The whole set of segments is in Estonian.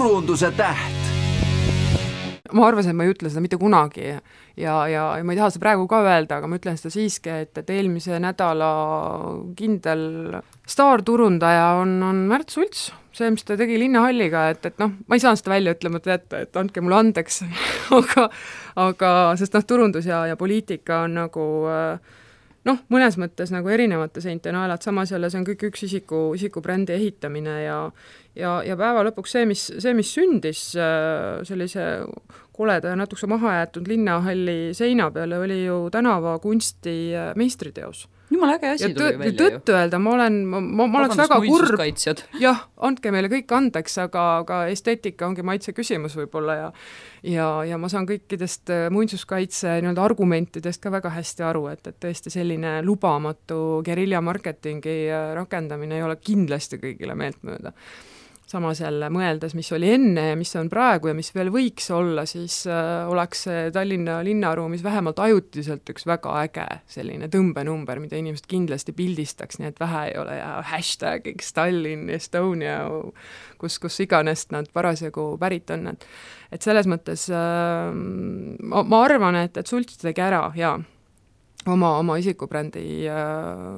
turunduse täht. Ma arvasin, et ma ei ütle seda mitte kunagi ja ma ei taha seda praegu ka öelda, aga ma ütlen seda siiski, et eelmise nädala kindel staarturundaja on Märt Sults, see, mis ta tegi Linnahalliga, et ma ei saa seda välja ütlemata jätta, et andke mulle andeks, aga sest turundus ja poliitika on nagu mõnes mõttes nagu erinevate seinte naelad, samas jälle see on kõik üks isikubrändi ehitamine ja päeva lõpuks see, mis sündis sellise koleda ja natuke maha jäetud Linnahalli seina peale, oli ju tänavakunsti meistriteos. Jumala äge asi tuli välja ju. Tõtt öelda, ma oleks väga kurb. Jah, andke meile kõik andeks, aga esteetika ongi maitse küsimus võib-olla ja ma saan kõikidest muinsuskaitse argumentidest ka väga hästi aru, et tõesti selline lubamatu geriljamarketingi rakendamine ei ole kindlasti kõigile meeltmööda. Samas jälle mõeldes, mis oli enne ja mis on praegu ja mis veel võiks olla, siis oleks Tallinna linnaruumis vähemalt ajutiselt üks väga äge selline tõmbenumber, mida inimesed kindlasti pildistaks, nii et vähe ei ole ja hashtagiks Tallinn, Estonia, kus iganes nad parasjagu pärit on. Et selles mõttes ma arvan, et Sults tegi ära ja oma isikubrändi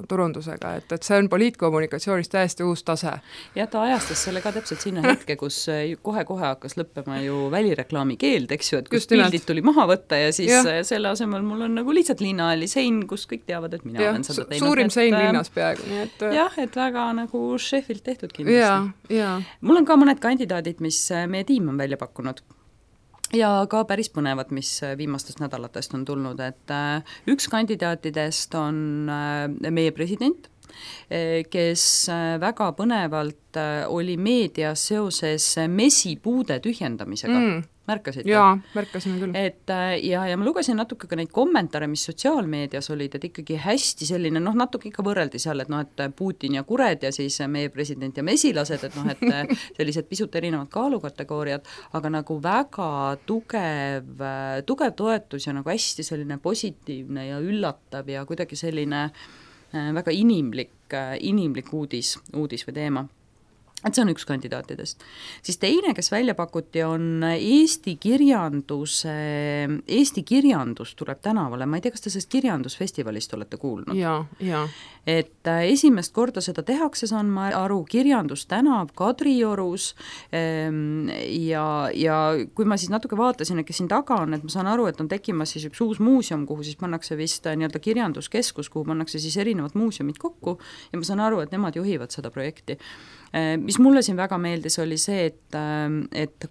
turundusega, et see on poliitkommunikatsioonis täiesti uus tase. Ja ta ajastas selle ka täpselt sinna hetke, kus kohe hakkas lõppema ju välireklaami keeld, eks ju, et kus pildid tuli maha võtta ja siis selle asemel mul on nagu lihtsalt Linnahalli sein, kus kõik teavad, et mina olen seda teinud. Suurim sein linnas peaaegu. Jah, et väga nagu Sheffield tehtud kindlasti. Mul on ka mõned kandidaadid, mis meie tiim on välja pakkunud. Ja ka päris põnevad, mis viimastest nädalatest on tulnud, et üks kandidaatidest on meie president, kes väga põnevalt oli meedias seoses mesipuude tühjendamisega. Märkasid? Jaa, märkasime küll. Ja ma lugesin natuke ka neid kommentaare, mis sotsiaalmeedias olid, et ikkagi hästi selline, natuke ikka võrreldi seal, et Putin ja kured ja siis meie president ja mesilased, et sellised pisut erinevad kaalukategooriad, aga nagu väga tugev toetus ja nagu hästi selline positiivne ja üllatav ja kuidagi selline väga inimlik uudis või teema. Et see on üks kandidaatidest. Siis teine, kes välja pakuti, on Eesti kirjandus tuleb tänavale. Ma ei tea, kas te sellest kirjandusfestivalist olete kuulnud? Ja. Et esimest korda seda tehakse, saan ma aru, kirjandustänav Kadriorus ja kui ma siis natuke vaatasin, et kes siin taga on, et ma saan aru, et on tekkimas siis üks uus muuseum, kuhu siis pannakse vist nii-öelda kirjanduskeskus, kuhu pannakse siis erinevad muuseumid kokku ja ma saan aru, et nemad juhivad seda projekti. Mis mulle siin väga meeldis, oli see, et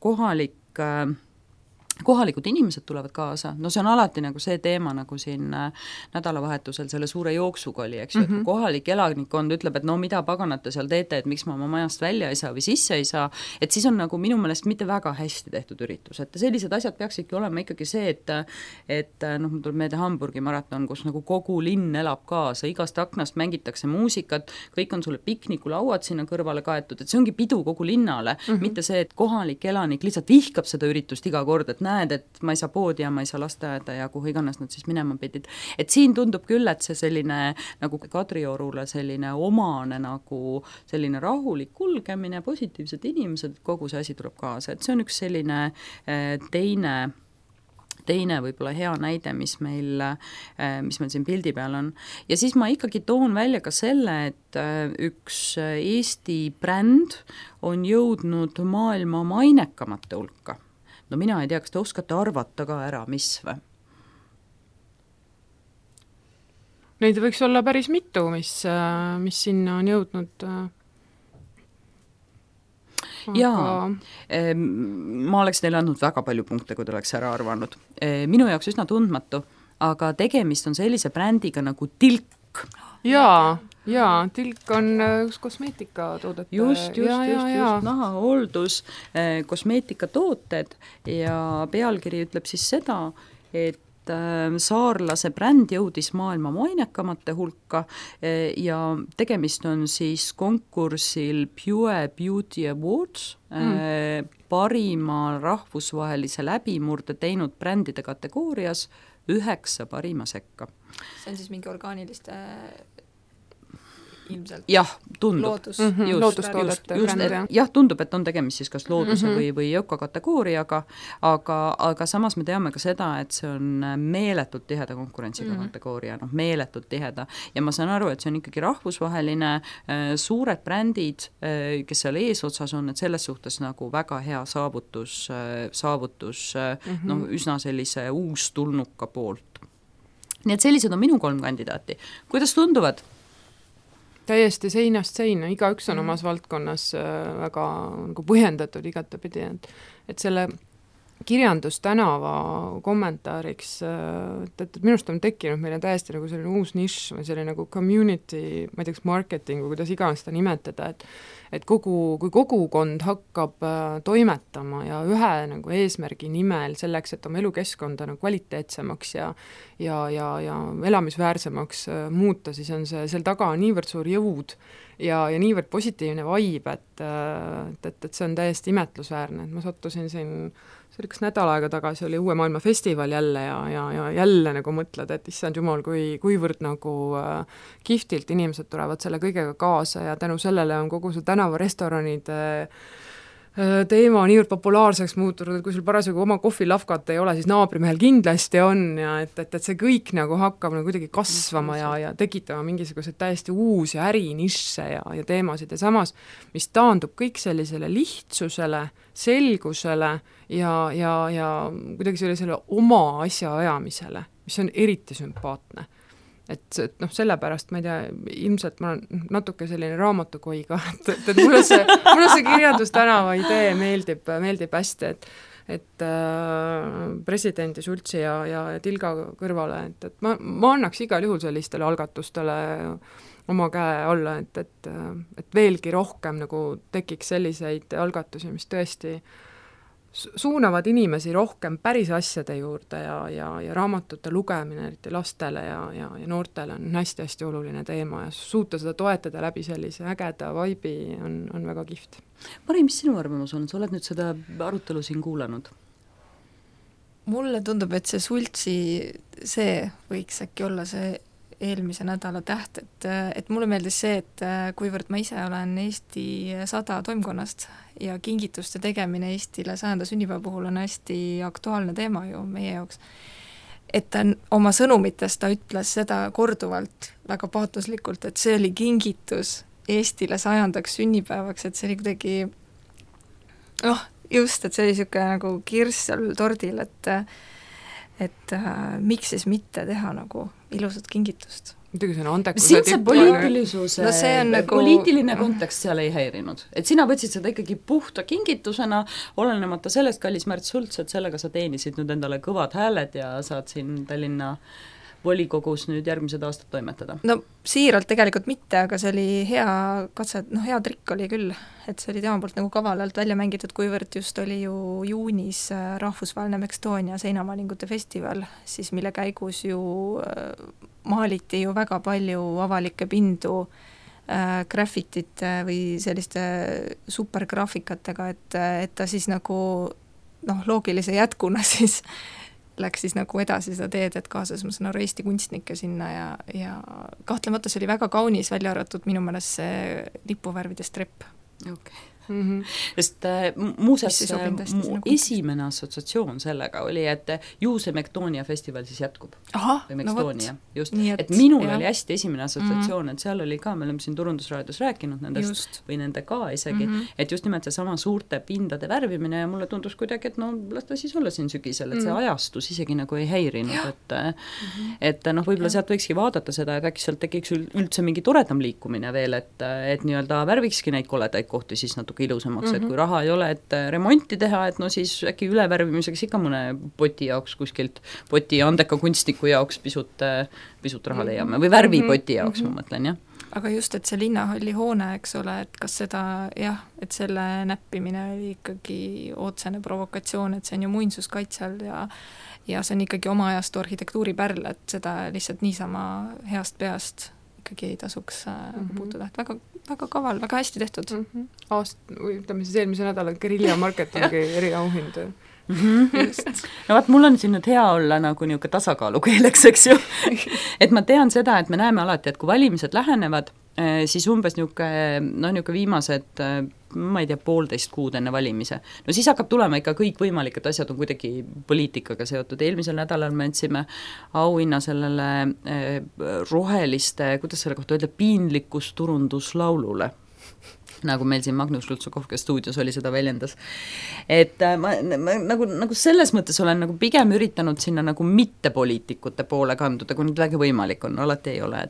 kohalikud inimesed tulevad kaasa, see on alati nagu see teema, nagu siin nädalavahetusel selle suure jooksuga oli, eks ju, et kohalik elanikkond ütleb, et mida paganate seal teete, et miks ma oma majast välja ei saa või sisse ei saa, et siis on nagu minu meelest mitte väga hästi tehtud üritus, et sellised asjad peaksidki olema ikkagi see, et mul tuleb meelde Hamburgi maraton, kus nagu kogu linn elab kaasa, igast aknast mängitakse muusikat, kõik on sulle piknikulauad sinna kõrvale kaetud, et see ongi pidu kogu linnale, mitte see, et kohalik elanik lihtsalt vihkab seda üritust iga kord, et näed, et ma ei saa poodi ja ma ei saa lasteaeda ja kuhu iganes nad siis minema pidid. Et siin tundub küll, et see selline nagu Kadriorule selline omane nagu selline rahulik kulgemine, positiivsed inimesed, kogu see asi tuleb kaasa. Et see on üks selline teine võib-olla hea näide, mis meil siin pildi peal on. Ja siis ma ikkagi toon välja ka selle, et üks Eesti bränd on jõudnud maailma mainekamate hulka. Mina ei tea, kas te oskate arvata ka ära, mis või? Neid võiks olla päris mitu, mis sinna on jõudnud. Jaa, ma oleks teile andnud väga palju punkte, kui te oleks ära arvanud. Minu jaoks üsna tundmatu, aga tegemist on sellise brändiga nagu Tilk. Jaa, Tilk on üks kosmeetikatoodet. Just, nahahooldus, kosmeetikatooted ja pealkiri ütleb siis seda, et saarlase bränd jõudis maailma mainekamate hulka ja tegemist on siis konkursil Pure Beauty Awards parima rahvusvahelise läbimurde teinud brändide kategoorias 9 parima sekka. See on siis mingi orgaaniliste ilmselt. Jah, tundub. Loodustoodete bränd, jah, tundub, et on tegemist siis kas looduse või ökokategooriaga, aga samas me teame ka seda, et see on meeletult tiheda konkurentsiga kategooria, meeletult tiheda. Ja ma saan aru, et see on ikkagi rahvusvaheline, suured brändid, kes seal eesotsas on, et selles suhtes nagu väga hea saavutus üsna sellise uustulnuka poolt. Nii et sellised on minu 3 kandidaati. Kuidas tunduvad? Täiesti seinast seina, igaüks on omas valdkonnas väga nagu põhjendatud igatepidi, et selle kirjandustänava kommentaariks, et minust on tekkinud meile täiesti nagu selline uus nišš või selline nagu community, ma ei tea, marketing või kuidas iganes seda nimetada, et kui kogukond hakkab toimetama ja ühe nagu eesmärgi nimel selleks, et oma elukeskkonda nagu kvaliteetsemaks ja elamisväärsemaks muuta, siis on seal taga niivõrd suur jõud ja niivõrd positiivne vibe, et see on täiesti imetlusväärne, et ma sattusin siin see oli kas nädal aega tagasi, oli Uue Maailma festival jälle ja jälle nagu mõtled, et issand jumal, kuivõrd nagu kihvtilt inimesed tulevad selle kõigega kaasa ja tänu sellele on kogu see tänavarestoranide teema niivõrd populaarseks muutunud, et kui sul parasjagu oma kohvilafkat ei ole, siis naabrimehel kindlasti on ja et see kõik nagu hakkab nagu kuidagi kasvama ja tekitama mingisuguseid täiesti uusi ärinišše ja teemasid ja samas, mis taandub kõik sellisele lihtsusele, selgusele ja kuidagi sellisele oma asja ajamisele, mis on eriti sümpaatne. Et sellepärast, ma ei tea, ilmselt ma olen natuke selline raamatukoiga, et mulle see kirjandustänava idee meeldib hästi, et presidendi Sultsi ja Tilga kõrvale, et ma annaks igal juhul sellistele algatustele oma käe alla, et veelgi rohkem nagu tekiks selliseid algatusi, mis tõesti suunavad inimesi rohkem päris asjade juurde ja raamatute lugemine, eriti lastele ja noortele on hästi-hästi oluline teema ja suuta seda toetada läbi sellise ägeda vibe'i on väga kihvt. Mari, mis sinu arvamus on? Sa oled nüüd seda arutelu siin kuulanud? Mulle tundub, et see Sultsi, see võiks äkki olla see eelmise nädala täht, et mulle meeldis see, et kuivõrd ma ise olen Eesti 100 toimkonnast ja kingituste tegemine Eestile 100. sünnipäeva puhul on hästi aktuaalne teema ju meie jaoks, et ta oma sõnumites ta ütles seda korduvalt väga paatoslikult, et see oli kingitus Eestile 100. sünnipäevaks, et see oli kuidagi just, et see oli niisugune nagu kirss seal tordil, et miks siis mitte teha nagu ilusat kingitust. Muidugi see on andekuse sind see poliitilisuse, poliitiline kontekst seal ei häirinud. Et sina võtsid seda ikkagi puhta kingitusena, olenemata sellest, kallis Märt Sults, et sellega sa teenisid nüüd endale kõvad hääled ja saad siin Tallinna volikogus nüüd järgmised aastad toimetada? No siiralt tegelikult mitte, aga see oli hea katse, hea trikk oli küll, et see oli tema poolt nagu kavalalt välja mängitud, kuivõrd just oli ju juunis rahvusvaheline Mextonia seinamaalingute festival, siis mille käigus ju maaliti ju väga palju avalikke pindu graffitite või selliste supergraafikatega, et ta siis nagu loogilise jätkuna siis läks siis nagu edasi seda teed, et kaasas, ma saan aru, Eesti kunstnikke sinna ja kahtlemata see oli väga kaunis, välja arvatud minu meelest see lipuvärvide strepp. Okay. Sest muuseas mu esimene assotsiatsioon sellega oli, et ju see Mextonia festival siis jätkub. Või Mextonia, just. Et minul oli hästi esimene assotsiatsioon, et seal oli ka, me oleme siin Turundusraadios rääkinud nendest või nende ka isegi, et just nimelt see sama suurte pindade värvimine ja mulle tundus kuidagi, et las ta siis olla siin sügisel, et see ajastus isegi nagu ei häirinud, et võib-olla sealt võikski vaadata seda, et äkki sealt tekiks üldse mingi toredam liikumine veel, et nii-öelda värvikski neid koledaid kohti siis natuke ilusamaks, et kui raha ei ole, et remonti teha, et siis äkki ülevärvimiseks ikka mõne poti jaoks kuskilt, poti andeka kunstniku jaoks pisut raha leiame, või värvipoti jaoks ma mõtlen, jah. Aga just, et see linnahalli hoone, eks ole, et kas seda, et selle näppimine oli ikkagi otsene provokatsioon, et see on ju muinsuskaitse all ja see on ikkagi oma ajastu arhitektuuripärl, et seda lihtsalt niisama heast peast ikkagi ei tasuks puutuda, et väga, väga kaval, väga hästi tehtud. Ütleme siis eelmise nädala Guerilla marketingi eriauhind. No vaat, mul on siin nüüd hea olla nagu niisugune tasakaalukeeleks, eks ju. Et ma tean seda, et me näeme alati, et kui valimised lähenevad, siis umbes niisugune viimased ma ei tea, 1,5 kuud enne valimise. No siis hakkab tulema ikka kõikvõimalikud asjad on kuidagi poliitikaga seotud. Eelmisel nädalal me andsime auhinna sellele roheliste, kuidas selle kohta öelda, piinlikkusturunduslaulule, nagu meil siin Magnus Lutsukov, kes stuudios oli, seda väljendas. Et ma nagu selles mõttes olen nagu pigem üritanud sinna nagu mittepoliitikute poole kanduda, kui nüüd väge võimalik on, alati ei ole.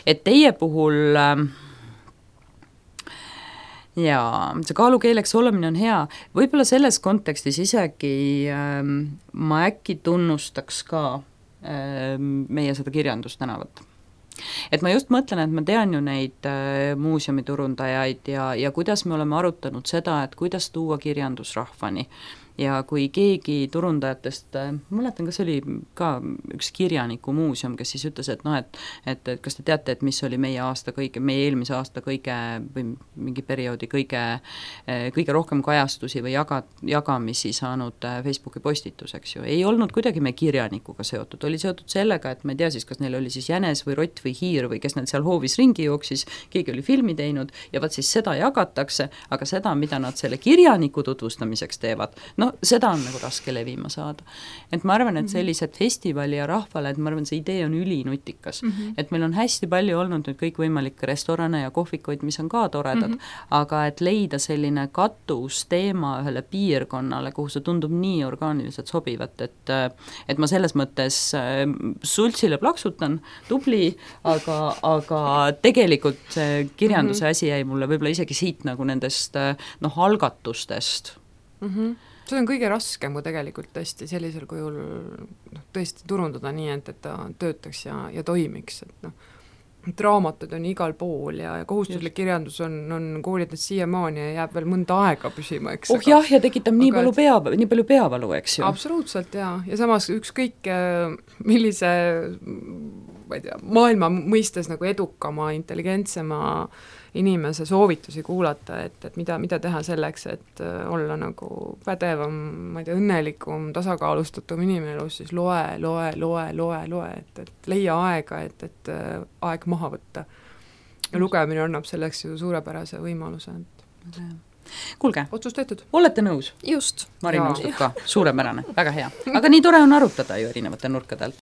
Et teie puhul jaa, see kaalukeeleks olemine on hea, võib-olla selles kontekstis isegi ma äkki tunnustaks ka meie seda kirjandustänavat. Et ma just mõtlen, et ma tean ju neid muuseumiturundajaid ja kuidas me oleme arutanud seda, et kuidas tuua kirjandus rahvani. Ja kui keegi turundajatest, mäletan, kas oli ka üks kirjaniku muuseum, kes siis ütles, et kas te teate, et mis oli meie eelmise aasta kõige või mingi perioodi kõige rohkem kajastusi või jagamisi saanud Facebooki postitus, eks ju. Ei olnud kuidagi me kirjanikuga seotud, oli seotud sellega, et ma ei tea siis, kas neil oli siis jänes või rott või hiir või kes neil seal hoovis ringi jooksis, keegi oli filmi teinud ja vaat siis seda jagatakse, aga seda, mida nad selle kirjaniku tutvustamiseks teevad, seda on nagu raske levima saada. Et ma arvan, et sellised festivali ja rahvale, et ma arvan, see idee on ülinutikas. Et meil on hästi palju olnud nüüd kõikvõimalikke restorane ja kohvikuid, mis on ka toredad, aga et leida selline katus teema ühele piirkonnale, kuhu see tundub nii orgaaniliselt sobivat, et ma selles mõttes sultsile plaksutan, tubli, aga tegelikult see kirjanduse asi jäi mulle võib-olla isegi siit nagu nendest algatustest. See on kõige raskem, kui tegelikult tõesti sellisel kujul tõesti turundada nii, et ta töötaks ja toimiks. Et raamatud on igal pool ja kohustuslik kirjandus on koolides siiamaani ja jääb veel mõnda aega püsima, eks. Jah, ja tekitab nii palju peavalu, eks ju. Absoluutselt, ja samas ükskõik millise ma ei tea, maailma mõistes nagu edukama, intelligentsema inimese soovitusi kuulata, et mida teha selleks, et olla nagu pädevam, ma ei tea, õnnelikum, tasakaalustatum inimene elus, siis loe, et leia aega, et aeg maha võtta. Ja lugemine annab selleks ju suurepärase võimaluse. Kuulge, otsus tehtud. Olete nõus? Just. Mari nõustub ka, suurepärane, väga hea. Aga nii tore on arutada ju erinevate nurkade alt.